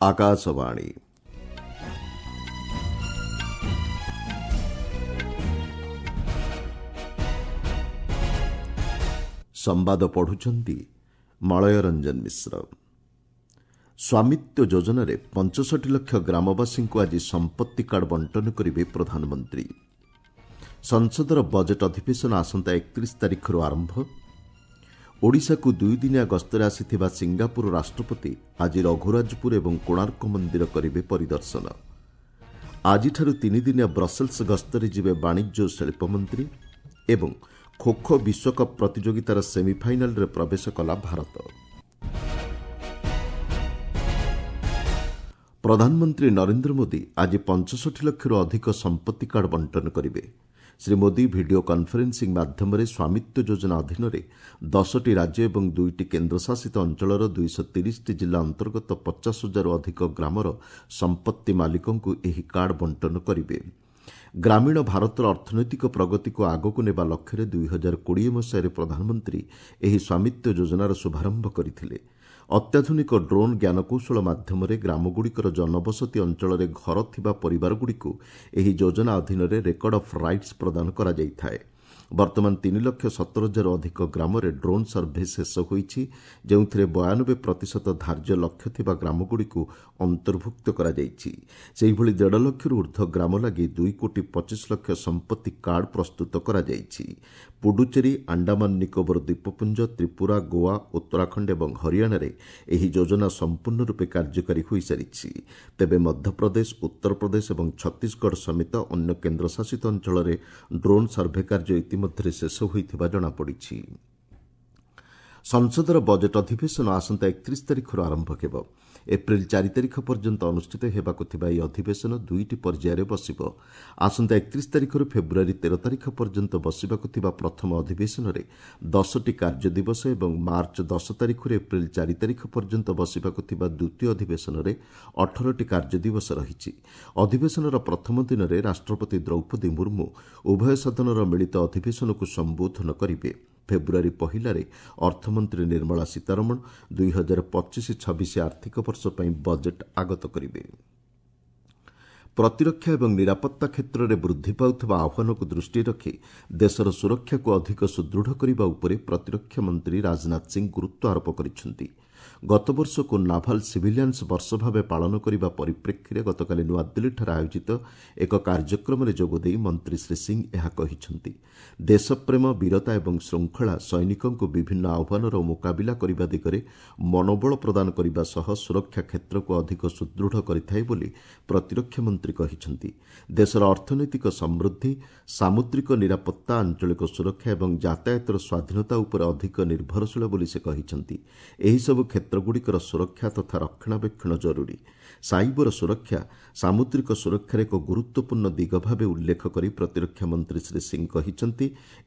ଆକାଶବାଣୀ। ସମ୍ବାଦ ପଢୁଛନ୍ତି ମଳୟ ରଞ୍ଜନ ମିଶ୍ର। ସ୍ୱାମିତ୍ୱ ଯୋଜନାରେ 65 ଲକ୍ଷ ଗ୍ରାମବାସୀଙ୍କୁ ଆଜି ସମ୍ପତ୍ତି କାର୍ଡ ବଣ୍ଟନ କରିବେ ପ୍ରଧାନମନ୍ତ୍ରୀ। ସଂସଦର ବଜେଟ୍ ଅଧିବେଶନ ଆସନ୍ତା 31 ତାରିଖରୁ ଆରମ୍ଭ। ଓଡ଼ିଶାକୁ ଦୁଇଦିନିଆ ଗସ୍ତରେ ଆସିଥିବା ସିଙ୍ଗାପୁର ରାଷ୍ଟ୍ରପତି ଆଜି ରଘୁରାଜପୁର ଏବଂ କୋଣାର୍କ ମନ୍ଦିର କରିବେ ପରିଦର୍ଶନ। ଆଜିଠାରୁ ତିନିଦିନିଆ ବ୍ରସେଲ୍ସ ଗସ୍ତରେ ଯିବେ ବାଣିଜ୍ୟ ଓ ଶିଳ୍ପମନ୍ତ୍ରୀ ଏବଂ ଖୋଖୋ ବିଶ୍ୱକପ୍ ପ୍ରତିଯୋଗିତାର ସେମିଫାଇନାଲ୍ରେ ପ୍ରବେଶ କଲା ଭାରତ। ପ୍ରଧାନମନ୍ତ୍ରୀ ନରେନ୍ଦ୍ର ମୋଦି ଆଜି 65 ଲକ୍ଷରୁ ଅଧିକ ସମ୍ପତ୍ତି କାର୍ଡ ବଣ୍ଟନ କରିବେ। ଶ୍ରୀ ମୋଦି ଭିଡିଓ କନ୍ଫରେନ୍ସିଂ ମାଧ୍ୟମରେ ସ୍ୱାମିତ୍ୱ ଯୋଜନା ଅଧୀନରେ 10ଟି ରାଜ୍ୟ ଏବଂ 2ଟି କେନ୍ଦ୍ରଶାସିତ ଅଞ୍ଚଳର 230ଟି ଜିଲ୍ଲା ଅନ୍ତର୍ଗତ 50 ହଜାରରୁ ଅଧିକ ଗ୍ରାମର ସମ୍ପତ୍ତି ମାଲିକଙ୍କୁ ଏହି କାର୍ଡ ବଣ୍ଟନ କରିବେ। ଗ୍ରାମୀଣ ଭାରତର ଅର୍ଥନୈତିକ ପ୍ରଗତିକୁ ଆଗକୁ ନେବା ଲକ୍ଷ୍ୟରେ 2020 ମସିହାରେ ପ୍ରଧାନମନ୍ତ୍ରୀ ଏହି ସ୍ୱାମିତ୍ୱ ଯୋଜନାର ଶୁଭାରମ୍ଭ କରିଥିଲେ। ଅତ୍ୟାଧୁନିକ ଡ୍ରୋନ୍ ଜ୍ଞାନକୌଶଳ ମାଧ୍ୟମରେ ଗ୍ରାମଗୁଡ଼ିକର ଜନବସତି ଅଞ୍ଚଳରେ ଘର ଥିବା ପରିବାରଗୁଡ଼ିକୁ ଏହି ଯୋଜନା ଅଧୀନରେ ରେକର୍ଡ ଅଫ୍ ରାଇଟ୍ସ ପ୍ରଦାନ କରାଯାଇଥାଏ। ବର୍ତ୍ତମାନ 3 ଲକ୍ଷ 17 ହଜାରରୁ ଅଧିକ ଗ୍ରାମରେ ଡ୍ରୋନ୍ ସର୍ଭେ ଶେଷ ହୋଇଛି, ଯେଉଁଥିରେ 92 ପ୍ରତିଶତ ଧାର୍ଯ୍ୟ ଲକ୍ଷ୍ୟ ଥିବା ଗ୍ରାମଗୁଡ଼ିକୁ ଅନ୍ତର୍ଭୁକ୍ତ କରାଯାଇଛି। ସେହିଭଳି ଦେଢ଼ ଲକ୍ଷରୁ ଉର୍ଦ୍ଧ୍ୱ ଗ୍ରାମ ଲାଗି 2 କୋଟି 25 ଲକ୍ଷ ସମ୍ପତ୍ତି କାର୍ଡ ପ୍ରସ୍ତୁତ କରାଯାଇଛି। ପୁଡୁଚେରୀ, ଆଣ୍ଡାମାନ ନିକୋବର ଦ୍ୱୀପପୁଞ୍ଜ, ତ୍ରିପୁରା, ଗୋଆ, ଉତ୍ତରାଖଣ୍ଡ ଏବଂ ହରିୟାଣାରେ ଏହି ଯୋଜନା ସମ୍ପୂର୍ଣ୍ଣ ରୂପେ କାର୍ଯ୍ୟକାରୀ ହୋଇସାରିଛି। ତେବେ ମଧ୍ୟପ୍ରଦେଶ, ଉତ୍ତରପ୍ରଦେଶ ଏବଂ ଛତିଶଗଡ଼ ସମେତ ଅନ୍ୟ କେନ୍ଦ୍ରଶାସିତ ଅଞ୍ଚଳରେ ଡ୍ରୋନ୍ ସର୍ଭେ କାର୍ଯ୍ୟ ଇତିମଧ୍ୟରେ ଶେଷ ହୋଇଥିବା ଜଣାପଡ଼ିଛି। ସଂସଦର ବଜେଟ୍ ଅଧିବେଶନ ଆସନ୍ତା 31 ତାରିଖରୁ ଆରମ୍ଭ ହେବ। ଏପ୍ରିଲ 4 ତାରିଖ ପର୍ଯ୍ୟନ୍ତ ଅନୁଷ୍ଠିତ ହେବାକୁ ଥିବା ଏହି ଅଧିବେଶନ ଦୁଇଟି ପର୍ଯ୍ୟାୟରେ ବସିବ। ଆସନ୍ତା 31 ତାରିଖରୁ ଫେବୃଆରୀ 13 ତାରିଖ ପର୍ଯ୍ୟନ୍ତ ବସିବାକୁ ଥିବା ପ୍ରଥମ ଅଧିବେଶନରେ 10ଟି କାର୍ଯ୍ୟ ଦିବସ ଏବଂ ମାର୍ଚ୍ଚ 10 ତାରିଖରୁ ଏପ୍ରିଲ 4 ତାରିଖ ପର୍ଯ୍ୟନ୍ତ ବସିବାକୁ ଥିବା ଦ୍ୱିତୀୟ ଅଧିବେଶନରେ 18ଟି କାର୍ଯ୍ୟ ଦିବସ ରହିଛି। ଅଧିବେଶନର ପ୍ରଥମ ଦିନରେ ରାଷ୍ଟ୍ରପତି ଦ୍ରୌପଦୀ ମୁର୍ମୁ ଉଭୟ ସଦନର ମିଳିତ ଅଧିବେଶନକୁ ସମ୍ବୋଧନ କରିବେ। ଫେବୃଆରୀ 1ରେ ଅର୍ଥମନ୍ତ୍ରୀ ନିର୍ମଳା ସୀତାରମଣ 2025-26 ଆର୍ଥିକ ବର୍ଷ ପାଇଁ ବଜେଟ୍ ଆଗତ କରିବେ। ପ୍ରତିରକ୍ଷା ଏବଂ ନିରାପତ୍ତା କ୍ଷେତ୍ରରେ ବୃଦ୍ଧି ପାଉଥିବା ଆହ୍ୱାନକୁ ଦୃଷ୍ଟିରେ ରଖି ଦେଶର ସୁରକ୍ଷାକୁ ଅଧିକ ସୁଦୃଢ଼ କରିବା ଉପରେ ପ୍ରତିରକ୍ଷା ମନ୍ତ୍ରୀ ରାଜନାଥ ସିଂ ଗୁରୁତ୍ୱ ଆରୋପ କରିଛନ୍ତି। ଗତବର୍ଷକୁ ନାଭାଲ ସିଭିଲିଆନ୍ସ ବର୍ଷ ଭାବେ ପାଳନ କରିବା ପରିପ୍ରେକ୍ଷୀରେ ଗତକାଲି ନୂଆଦିଲ୍ଲୀଠାରେ ଆୟୋଜିତ ଏକ କାର୍ଯ୍ୟକ୍ରମରେ ଯୋଗଦେଇ ମନ୍ତ୍ରୀ ଶ୍ରୀ ସିଂ ଏହା କହିଛନ୍ତି। ଦେଶପ୍ରେମ, ବୀରତା ଏବଂ ଶୃଙ୍ଖଳା ସୈନିକଙ୍କୁ ବିଭିନ୍ନ ଆହ୍ୱାନର ମୁକାବିଲା କରିବା ଦିଗରେ ମନୋବଳ ପ୍ରଦାନ କରିବା ସହ ସୁରକ୍ଷା କ୍ଷେତ୍ରକୁ ଅଧିକ ସୁଦୃଢ଼ କରିଥାଏ ବୋଲି ପ୍ରତିରକ୍ଷା ମନ୍ତ୍ରୀ କହିଛନ୍ତି। ଦେଶର ଅର୍ଥନୈତିକ ସମୃଦ୍ଧି, ସାମୁଦ୍ରିକ ନିରାପତ୍ତା, ଆଞ୍ଚଳିକ ସୁରକ୍ଷା ଏବଂ ଯାତାୟାତର ସ୍ୱାଧୀନତା ଉପରେ ଅଧିକ ନିର୍ଭରଶୀଳ ବୋଲି ସେ କହିଛନ୍ତି। ଏହିସବୁ କ୍ଷେତ୍ରଗୁଡ଼ିକର ସୁରକ୍ଷା ତଥା ରକ୍ଷଣାବେକ୍ଷଣ ଜରୁରୀ। ସାଇବର ସୁରକ୍ଷା ସାମୁଦ୍ରିକ ସୁରକ୍ଷାର ଏକ ଗୁରୁତ୍ୱପୂର୍ଣ୍ଣ ଦିଗ ଭାବେ ଉଲ୍ଲେଖ କରି ପ୍ରତିରକ୍ଷା ମନ୍ତ୍ରୀ ଶ୍ରୀ ସିଂ କହିଛନ୍ତି,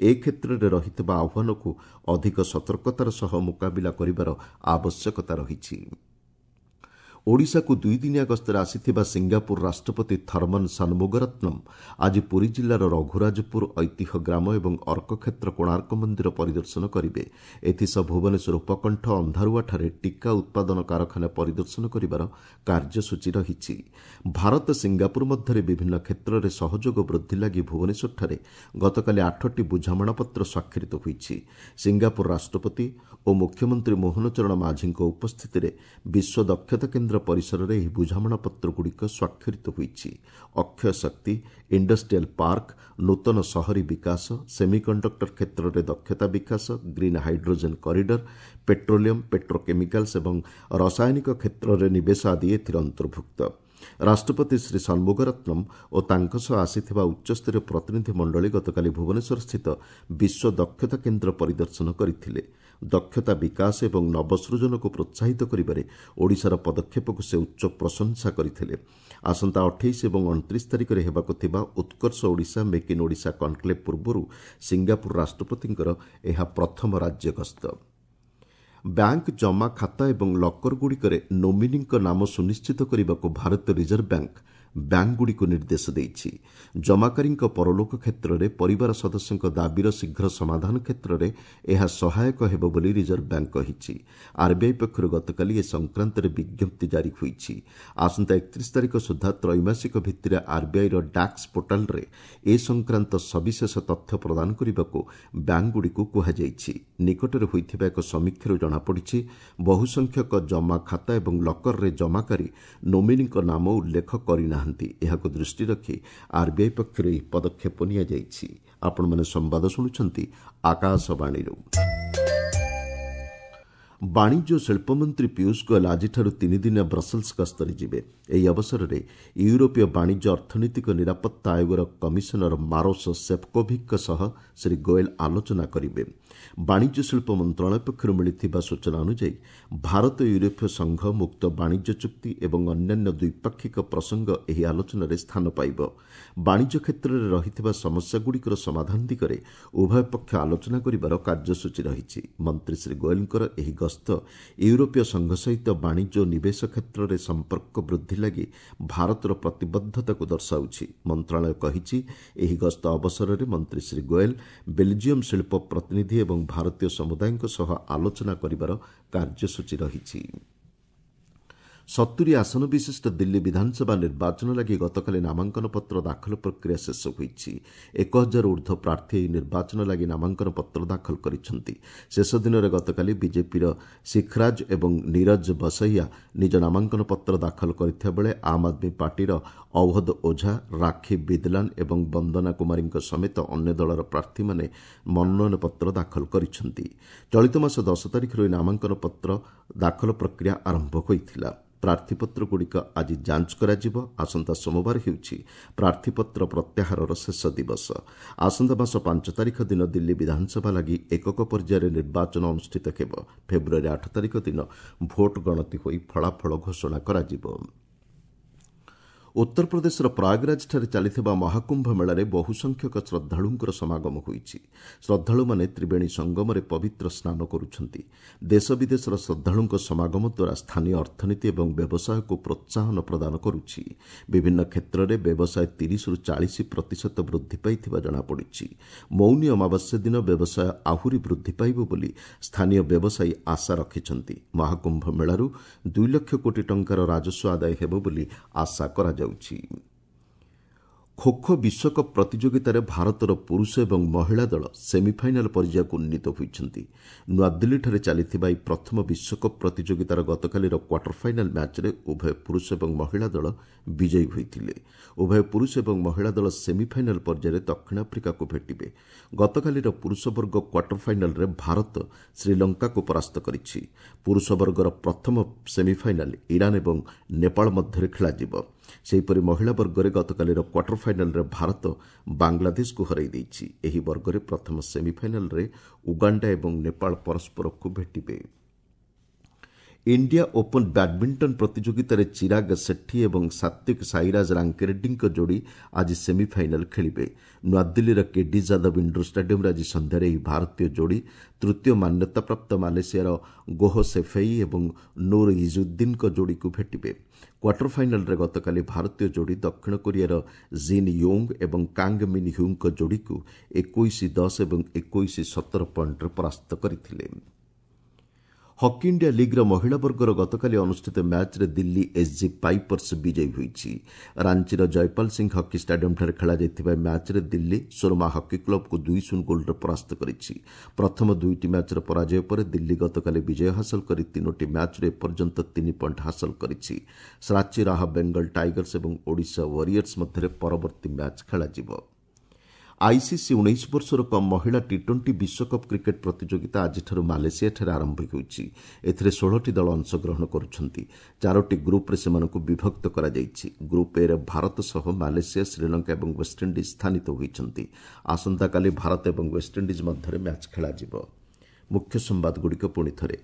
ଏ କ୍ଷେତ୍ରରେ ରହିଥିବା ଆହ୍ୱାନକୁ ଅଧିକ ସତର୍କତାର ସହ ମୁକାବିଲା କରିବାର ଆବଶ୍ୟକତା ରହିଛି। ଓଡ଼ିଶାକୁ ଦୁଇଦିନିଆ ଗସ୍ତରେ ଆସିଥିବା ସିଙ୍ଗାପୁର ରାଷ୍ଟ୍ରପତି ଥର୍ମନ ସନ୍ମୁଗରତ୍ନମ୍ ଆଜି ପୁରୀ ଜିଲ୍ଲାର ରଘୁରାଜପୁର ଐତିହ୍ୟ ଗ୍ରାମ ଏବଂ ଅର୍କକ୍ଷେତ୍ର କୋଣାର୍କ ମନ୍ଦିର ପରିଦର୍ଶନ କରିବେ। ଏଥିସହ ଭୁବନେଶ୍ୱର ଉପକଣ୍ଠ ଅନ୍ଧାରୁଆଠାରେ ଟିକା ଉତ୍ପାଦନ କାରଖାନା ପରିଦର୍ଶନ କରିବାର କାର୍ଯ୍ୟସୂଚୀ ରହିଛି। ଭାରତ ସିଙ୍ଗାପୁର ମଧ୍ୟରେ ବିଭିନ୍ନ କ୍ଷେତ୍ରରେ ସହଯୋଗ ବୃଦ୍ଧି ଲାଗି ଭୁବନେଶ୍ୱରଠାରେ ଗତକାଲି 8ଟି ବୁଝାମଣାପତ୍ର ସ୍ୱାକ୍ଷରିତ ହୋଇଛି। ସିଙ୍ଗାପୁର ରାଷ୍ଟ୍ରପତି ଓ ମୁଖ୍ୟମନ୍ତ୍ରୀ ମୋହନ ଚରଣ ମାଝୀଙ୍କ ଉପସ୍ଥିତିରେ ବିଶ୍ୱ ଦକ୍ଷତା କେନ୍ଦ୍ର ପରିସରରେ ଏହି ବୁଝାମଣାପତ୍ରଗୁଡ଼ିକ ସ୍ୱାକ୍ଷରିତ ହୋଇଛି। ଅକ୍ଷୟ ଶକ୍ତି, ଇଣ୍ଡଷ୍ଟ୍ରିଆଲ ପାର୍କ, ନୂତନ ସହରୀ ବିକାଶ, ସେମିକଣ୍ଡକ୍ଟର କ୍ଷେତ୍ରରେ ଦକ୍ଷତା ବିକାଶ, green hydrogen corridor, petroleum, petrochemicals ଏବଂ ରସାୟନିକ କ୍ଷେତ୍ରରେ ନିବେଶ ଆଦି ଏଥିରେ ଅନ୍ତର୍ଭୁକ୍ତ। ରାଷ୍ଟ୍ରପତି ଶ୍ରୀ ସନ୍ମୁଗରତ୍ନମ୍ ଓ ତାଙ୍କ ସହ ଆସିଥିବା ଉଚ୍ଚସ୍ତରୀୟ ପ୍ରତିନିଧି ମଣ୍ଡଳୀ ଗତକାଲି ଭୁବନେଶ୍ୱରସ୍ଥିତ ବିଶ୍ୱ ଦକ୍ଷତା କେନ୍ଦ୍ର ପରିଦର୍ଶନ କରିଥିଲେ। ଦକ୍ଷତା ବିକାଶ ଏବଂ ନବସୃଜନକୁ ପ୍ରୋତ୍ସାହିତ କରିବାରେ ଓଡ଼ିଶାର ପଦକ୍ଷେପକୁ ସେ ଉଚ୍ଚ ପ୍ରଶଂସା କରିଥିଲେ। ଆସନ୍ତା 28 ଏବଂ 29 ତାରିଖରେ ହେବାକୁ ଥିବା Utkarsh Odisha make in Odisha conclave ପୂର୍ବରୁ ସିଙ୍ଗାପୁର ରାଷ୍ଟ୍ରପତିଙ୍କର ଏହା ପ୍ରଥମ ରାଜ୍ୟ ଗସ୍ତ। ବ୍ୟାଙ୍କ ଜମା ଖାତା ଏବଂ ଲକରଗୁଡ଼ିକରେ ନୋମିନିଙ୍କ ନାମ ସୁନିଶ୍ଚିତ କରିବାକୁ ଭାରତୀୟ ରିଜର୍ଭ ବ୍ୟାଙ୍କ ବ୍ୟାଙ୍କଗୁଡ଼ିକୁ ନିର୍ଦ୍ଦେଶ ଦେଇଛି। ଜମାକାରୀଙ୍କ ପରଲୋକ କ୍ଷେତ୍ରରେ ପରିବାର ସଦସ୍ୟଙ୍କ ଦାବିର ଶୀଘ୍ର ସମାଧାନ କ୍ଷେତ୍ରରେ ଏହା ସହାୟକ ହେବ ବୋଲି ରିଜର୍ଭ ବ୍ୟାଙ୍କ କହିଛି। ଆର୍ବିଆଇ ପକ୍ଷରୁ ଗତକାଲି ଏ ସଂକ୍ରାନ୍ତରେ ବିଜ୍ଞପ୍ତି ଜାରି ହୋଇଛି। ଆସନ୍ତା 31 ତାରିଖ ସୁଦ୍ଧା ତ୍ରୈମାସିକ ଭିତ୍ତିରେ ଆର୍ବିଆଇର ଡାକ୍ସ ପୋର୍ଟାଲରେ ଏ ସଂକ୍ରାନ୍ତ ସବିଶେଷ ତଥ୍ୟ ପ୍ରଦାନ କରିବାକୁ ବ୍ୟାଙ୍କଗୁଡ଼ିକୁ କୁହାଯାଇଛି। ନିକଟରେ ହୋଇଥିବା ଏକ ସମୀକ୍ଷାରୁ ଜଣାପଡ଼ିଛି, ବହୁସଂଖ୍ୟକ ଜମା ଖାତା ଏବଂ ଲକରରେ ଜମାକାରୀ ନୋମିନିଙ୍କ ନାମ ଉଲ୍ଲେଖ କରିନାହାନ୍ତି। ଏହାକୁ ଦୃଷ୍ଟିରେ ରଖି ଆର୍ବିଆଇ ପକ୍ଷରୁ ଏହି ପଦକ୍ଷେପ ନିଆଯାଇଛି। ଆପଣମାନେ ସମ୍ବାଦ ଶୁଣୁଛନ୍ତି ଆକାଶବାଣୀରୁ। ବାଣିଜ୍ୟ ଓ ଶିଳ୍ପମନ୍ତ୍ରୀ ପୀୟୁଷ ଗୋଏଲ ଆଜିଠାରୁ ତିନିଦିନିଆ ବ୍ରସେଲ୍ସ ଗସ୍ତରେ ଯିବେ। ଏହି ଅବସରରେ ୟୁରୋପୀୟ ବାଣିଜ୍ୟ ଅର୍ଥନୈତିକ ନିରାପତ୍ତା ଆୟୋଗର କମିଶନର ମାରୋସ ସେଫ୍କୋଭିକ୍ଙ୍କ ସହ ଶ୍ରୀ ଗୋଏଲ ଆଲୋଚନା କରିବେ। ବାଣିଜ୍ୟ ଶିଳ୍ପ ମନ୍ତ୍ରଣାଳୟ ପକ୍ଷରୁ ମିଳିଥିବା ସୂଚନା ଅନୁଯାୟୀ, ଭାରତ ୟୁରୋପୀୟ ସଂଘ ମୁକ୍ତ ବାଣିଜ୍ୟ ଚୁକ୍ତି ଏବଂ ଅନ୍ୟାନ୍ୟ ଦ୍ୱିପାକ୍ଷିକ ପ୍ରସଙ୍ଗ ଏହି ଆଲୋଚନାରେ ସ୍ଥାନ ପାଇବ। ବାଣିଜ୍ୟ କ୍ଷେତ୍ରରେ ରହିଥିବା ସମସ୍ୟାଗୁଡ଼ିକର ସମାଧାନ ଦିଗରେ ଉଭୟ ପକ୍ଷ ଆଲୋଚନା କରିବାର କାର୍ଯ୍ୟସୂଚୀ ରହିଛି। ମନ୍ତ୍ରୀ ଶ୍ରୀ ଗୋଏଲଙ୍କର ଏହି ଗସ୍ତ ୟୁରୋପୀୟ ସଂଘ ସହିତ ବାଣିଜ୍ୟ ଓ ନିବେଶ କ୍ଷେତ୍ରରେ ସମ୍ପର୍କ ବୃଦ୍ଧି ଲାଗି ଭାରତର ପ୍ରତିବଦ୍ଧତାକୁ ଦର୍ଶାଉଛି। ମନ୍ତ୍ରଣାଳୟ କହିଛି, ଏହି ଗସ୍ତ ଅବସରରେ ମନ୍ତ୍ରୀ ଶ୍ରୀ ଗୋଏଲ ବେଲ୍ଜିୟମ୍ ଶିଳ୍ପ ପ୍ରତିନିଧି ଏବଂ ଭାରତୀୟ ସମୁଦାୟଙ୍କ ସହ ଆଲୋଚନା କରିବାର କାର୍ଯ୍ୟସୂଚୀ ରହିଛି। 70 ଆସନ ବିଶିଷ୍ଟ ଦିଲ୍ଲୀ ବିଧାନସଭା ନିର୍ବାଚନ ଲାଗି ଗତକାଲି ନାମାଙ୍କନ ପତ୍ର ଦାଖଲ ପ୍ରକ୍ରିୟା ଶେଷ ହୋଇଛି। 1000 ଉର୍ଦ୍ଧ୍ୱ ପ୍ରାର୍ଥୀ ଏହି ନିର୍ବାଚନ ଲାଗି ନାମାଙ୍କନ ପତ୍ର ଦାଖଲ କରିଛନ୍ତି। ଶେଷ ଦିନରେ ଗତକାଲି ବିଜେପିର ଶିଖରାଜ ଏବଂ ନିରଜ ବସହିଆ ନିଜ ନାମାଙ୍କନ ପତ୍ର ଦାଖଲ କରିଥିବା ବେଳେ ଆମ୍ ଆଦମୀ ପାର୍ଟିର ଅଓ୍ୱଧ ଓଝା, ରାକ୍ଷୀ ବିଦଲାନ ଏବଂ ବନ୍ଦନା କୁମାରୀଙ୍କ ସମେତ ଅନ୍ୟ ଦଳର ପ୍ରାର୍ଥୀମାନେ ମନୋନୟନ ପତ୍ର ଦାଖଲ କରିଛନ୍ତି। ଚଳିତ ମାସ 10 ତାରିଖରୁ ଏହି ନାମାଙ୍କନ ପତ୍ର ଦାଖଲ ପ୍ରକ୍ରିୟା ଆରମ୍ଭ ହୋଇଥିଲା। ପ୍ରାର୍ଥୀପତ୍ରଗୁଡ଼ିକ ଆଜି ଯାଞ୍ଚ କରାଯିବ। ଆସନ୍ତା ସୋମବାର ହେଉଛି ପ୍ରାର୍ଥୀପତ୍ର ପ୍ରତ୍ୟାହାରର ଶେଷ ଦିବସ। ଆସନ୍ତା ମାସ 5 ତାରିଖ ଦିନ ଦିଲ୍ଲୀ ବିଧାନସଭା ଲାଗି ଏକକ ପର୍ଯ୍ୟାୟରେ ନିର୍ବାଚନ ଅନୁଷ୍ଠିତ ହେବ। ଫେବୃଆରୀ 8 ତାରିଖ ଦିନ ଭୋଟ ଗଣତି ହୋଇ ଫଳାଫଳ ଘୋଷଣା କରାଯିବ। ଉତ୍ତରପ୍ରଦେଶର ପ୍ରୟାଗରାଜଠାରେ ଚାଲିଥିବା ମହାକୁମ୍ଭ ମେଳାରେ ବହୁସଂଖ୍ୟକ ଶ୍ରଦ୍ଧାଳୁଙ୍କର ସମାଗମ ହୋଇଛି। ଶ୍ରଦ୍ଧାଳୁମାନେ ତ୍ରିବେଣୀ ସଙ୍ଗମରେ ପବିତ୍ର ସ୍ନାନ କରୁଛନ୍ତି। ଦେଶ ବିଦେଶର ଶ୍ରଦ୍ଧାଳୁଙ୍କ ସମାଗମ ଦ୍ୱାରା ସ୍ଥାନୀୟ ଅର୍ଥନୀତି ଏବଂ ବ୍ୟବସାୟକୁ ପ୍ରୋତ୍ସାହନ ପ୍ରଦାନ କରୁଛି। ବିଭିନ୍ନ କ୍ଷେତ୍ରରେ ବ୍ୟବସାୟ 30ରୁ 40 ପ୍ରତିଶତ ବୃଦ୍ଧି ପାଇଥିବା ଜଣାପଡ଼ିଛି। ମୌନୀ ଅମାବାସ୍ୟା ଦିନ ବ୍ୟବସାୟ ଆହୁରି ବୃଦ୍ଧି ପାଇବ ବୋଲି ସ୍ଥାନୀୟ ବ୍ୟବସାୟୀ ଆଶା ରଖିଛନ୍ତି। ମହାକୁମ୍ଭ ମେଳାରୁ 2 ଲକ୍ଷ କୋଟି ଟଙ୍କାର ରାଜସ୍ୱ ଆଦାୟ ହେବ ବୋଲି ଆଶା କରାଯାଉଛି। ଖୋଖୋ ବିଶ୍ୱକପ୍ ପ୍ରତିଯୋଗିତାରେ ଭାରତର ପୁରୁଷ ଏବଂ ମହିଳା ଦଳ ସେମିଫାଇନାଲ୍ ପର୍ଯ୍ୟାୟକୁ ଉନ୍ନୀତ ହୋଇଛନ୍ତି। ନୂଆଦିଲ୍ଲୀଠାରେ ଚାଲିଥିବା ଏହି ପ୍ରଥମ ବିଶ୍ୱକପ୍ ପ୍ରତିଯୋଗିତାର ଗତକାଲିର କ୍ୱାର୍ଟର ଫାଇନାଲ୍ ମ୍ୟାଚ୍ରେ ଉଭୟ ପୁରୁଷ ଏବଂ ମହିଳା ଦଳ ବିଜୟୀ ହୋଇଥିଲେ। ଉଭୟ ପୁରୁଷ ଏବଂ ମହିଳା ଦଳ ସେମିଫାଇନାଲ୍ ପର୍ଯ୍ୟାୟରେ ଦକ୍ଷିଣ ଆଫ୍ରିକାକୁ ଭେଟିବେ। ଗତକାଲିର ପୁରୁଷ ବର୍ଗ କ୍ୱାର୍ଟର ଫାଇନାଲ୍ରେ ଭାରତ ଶ୍ରୀଲଙ୍କାକୁ ପରାସ୍ତ କରିଛି। ପୁରୁଷ ବର୍ଗର ପ୍ରଥମ ସେମିଫାଇନାଲ୍ ଇରାନ୍ ଏବଂ ନେପାଳ ମଧ୍ୟରେ ଖେଳାଯିବ। ସେହିପରି ମହିଳା ବର୍ଗରେ ଗତକାଲିର କ୍ୱାର୍ଟର ଫାଇନାଲ୍ରେ ଭାରତ ବାଂଲାଦେଶକୁ ହରାଇ ଦେଇଛି। ଏହି ବର୍ଗରେ ପ୍ରଥମ ସେମିଫାଇନାଲ୍ରେ ଉଗାଣ୍ଡା ଏବଂ ନେପାଳ ପରସ୍ପରକୁ ଭେଟିବେ। ଇଣ୍ଡିଆ ଓପନ୍ ବ୍ୟାଡ୍ମିଣ୍ଟନ ପ୍ରତିଯୋଗିତାରେ ଚିରାଗ ସେଠୀ ଏବଂ ସାତ୍ୱିକ ସାଇରାଜ ରାଙ୍କିରେଡ୍ଡୀଙ୍କ ଯୋଡ଼ି ଆଜି ସେମିଫାଇନାଲ୍ ଖେଳିବେ। ନୂଆଦିଲ୍ଲୀର କେଡି ଯାଦବ ଇଣ୍ଡୋର ଷ୍ଟାଡିୟମ୍ରେ ଆଜି ସନ୍ଧ୍ୟାରେ ଏହି ଭାରତୀୟ ଯୋଡ଼ି ତୃତୀୟ ମାନ୍ୟତାପ୍ରାପ୍ତ ମାଲେସିଆର ଗୋହ ସେଫେଇ ଏବଂ ନୁର୍ ଇଜୁଦ୍ଦିନ୍ଙ୍କ ଯୋଡ଼ିକୁ ଭେଟିବେ। କ୍ୱାର୍ଟର ଫାଇନାଲ୍ରେ ଗତକାଲି ଭାରତୀୟ ଯୋଡ଼ି ଦକ୍ଷିଣ କୋରିଆର ଜିନ୍ ୟୋଙ୍ଗ ଏବଂ କାଙ୍ଗ ମିନ୍ ହ୍ୟୁଙ୍କ ଯୋଡ଼ିକୁ 21-10 ଏବଂ 21-17 ପଏଣ୍ଟରେ ପରାସ୍ତ କରିଥିଲେ। ହକି ଇଣ୍ଡିଆ ଲିଗ୍ର ମହିଳା ବର୍ଗର ଗତକାଲି ଅନୁଷ୍ଠିତ ମ୍ୟାଚ୍ରେ ଦିଲ୍ଲୀ ଏସ୍ଜି ପାଇପର୍ସ ବିଜୟୀ ହୋଇଛି। ରାଞ୍ଚିର ଜୟପାଲ ସିଂ ହକି ଷ୍ଟାଡିୟମ୍ଠାରେ ଖେଳାଯାଇଥିବା ମ୍ୟାଚ୍ରେ ଦିଲ୍ଲୀ ସୁରମା ହକି କ୍ଲବ୍କୁ 2-0 ଗୋଲ୍ରେ ପରାସ୍ତ କରିଛି। ପ୍ରଥମ ଦୁଇଟି ମ୍ୟାଚ୍ର ପରାଜୟ ପରେ ଦିଲ୍ଲୀ ଗତକାଲି ବିଜୟ ହାସଲ କରି ତିନୋଟି ମ୍ୟାଚ୍ରୁ ଏପର୍ଯ୍ୟନ୍ତ 3 ପଏଣ୍ଟ ହାସଲ କରିଛି। ରାଞ୍ଚି ରାହା ବେଙ୍ଗଲ ଟାଇଗର୍ସ ଏବଂ ଓଡ଼ିଶା ୱାରିୟର୍ସ ମଧ୍ୟରେ ପରବର୍ତ୍ତୀ ମ୍ୟାଚ୍ ଖେଳାଯିବ। ଆଇସିସି 19 ବର୍ଷରୁ କମ୍ ମହିଳା ଟି ଟ୍ୱେଣ୍ଟି ବିଶ୍ୱକପ୍ କ୍ରିକେଟ୍ ପ୍ରତିଯୋଗିତା ଆଜିଠାରୁ ମାଲେସିଆଠାରେ ଆରମ୍ଭ ହେଉଛି। ଏଥିରେ 16ଟି ଦଳ ଅଂଶଗ୍ରହଣ କରୁଛନ୍ତି। ଚାରୋଟି ଗ୍ରୁପ୍ରେ ସେମାନଙ୍କୁ ବିଭକ୍ତ କରାଯାଇଛି। ଗ୍ରୁପ୍ ଏରେ ଭାରତ ସହ ମାଲେସିଆ, ଶ୍ରୀଲଙ୍କା ଏବଂ ୱେଷ୍ଟଇଣ୍ଡିଜ୍ ସ୍ଥାନିତ ହୋଇଛନ୍ତି। ଆସନ୍ତାକାଲି ଭାରତ ଏବଂ ୱେଷ୍ଟଇଣ୍ଡିଜ୍ ମଧ୍ୟରେ ମ୍ୟାଚ୍ ଖେଳାଯିବ। ମୁଖ୍ୟ ସମ୍ବାଦଗୁଡ଼ିକ ପୁଣି ଥରେ।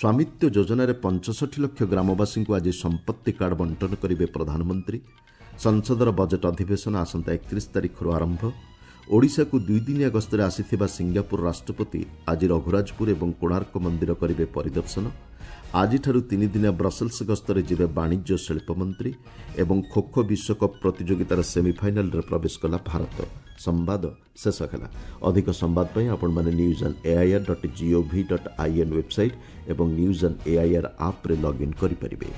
ସ୍ୱାମିତ୍ୱ ଯୋଜନାରେ 65 ଲକ୍ଷ ଗ୍ରାମବାସୀଙ୍କୁ ଆଜି ସମ୍ପତ୍ତି କାର୍ଡ ବଣ୍ଟନ କରିବେ ପ୍ରଧାନମନ୍ତ୍ରୀ। ସଂସଦର ବଜେଟ୍ ଅଧିବେଶନ ଆସନ୍ତା 31 ତାରିଖରୁ ଆରମ୍ଭ। ଓଡ଼ିଶାକୁ ଦୁଇଦିନିଆ ଗସ୍ତରେ ଆସିଥିବା ସିଙ୍ଗାପୁର ରାଷ୍ଟ୍ରପତି ଆଜି ରଘୁରାଜପୁର ଏବଂ କୋଣାର୍କ ମନ୍ଦିର କରିବେ ପରିଦର୍ଶନ। ଆଜିଠାରୁ ତିନିଦିନିଆ ବ୍ରସେଲ୍ସ ଗସ୍ତରେ ଯିବେ ବାଣିଜ୍ୟ ଶିଳ୍ପମନ୍ତ୍ରୀ। ଏବଂ ଖୋଖୋ ବିଶ୍ୱକପ୍ ପ୍ରତିଯୋଗିତାର ସେମିଫାଇନାଲ୍ରେ ପ୍ରବେଶ କଲା ଭାରତ। ସମ୍ବାଦ ଶେଷ ହେଲା। ଅଧିକ ସମ୍ବାଦ ପାଇଁ ଆପଣମାନେ news on AIR dot GOV dot IN website ଏବଂ ନ୍ୟୁଜ୍ ଅନ୍ ଏଆଇଆର୍ ଆପ୍ରେ ଲଗ୍ଇନ୍ କରିପାରିବେ।